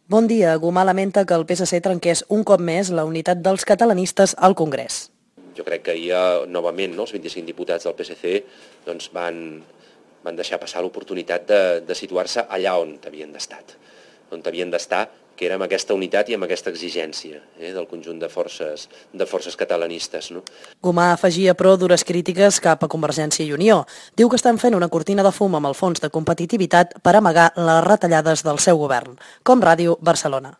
Bon dia. Gomà lamenta que el PSC trenqués un cop més la unitat dels catalanistes al Congrés. Jo crec que ahir, novament, els 25 diputats del PSC van deixar passar l'oportunitat de situar-se allà on havien d'estar, que era amb aquesta unitat i amb aquesta exigència del conjunt de forces catalanistes. Gomà afegia, però, dures crítiques cap a Convergència i Unió. Diu que estan fent una cortina de fum amb el fons de competitivitat per amagar les retallades del seu govern. Com Ràdio Barcelona.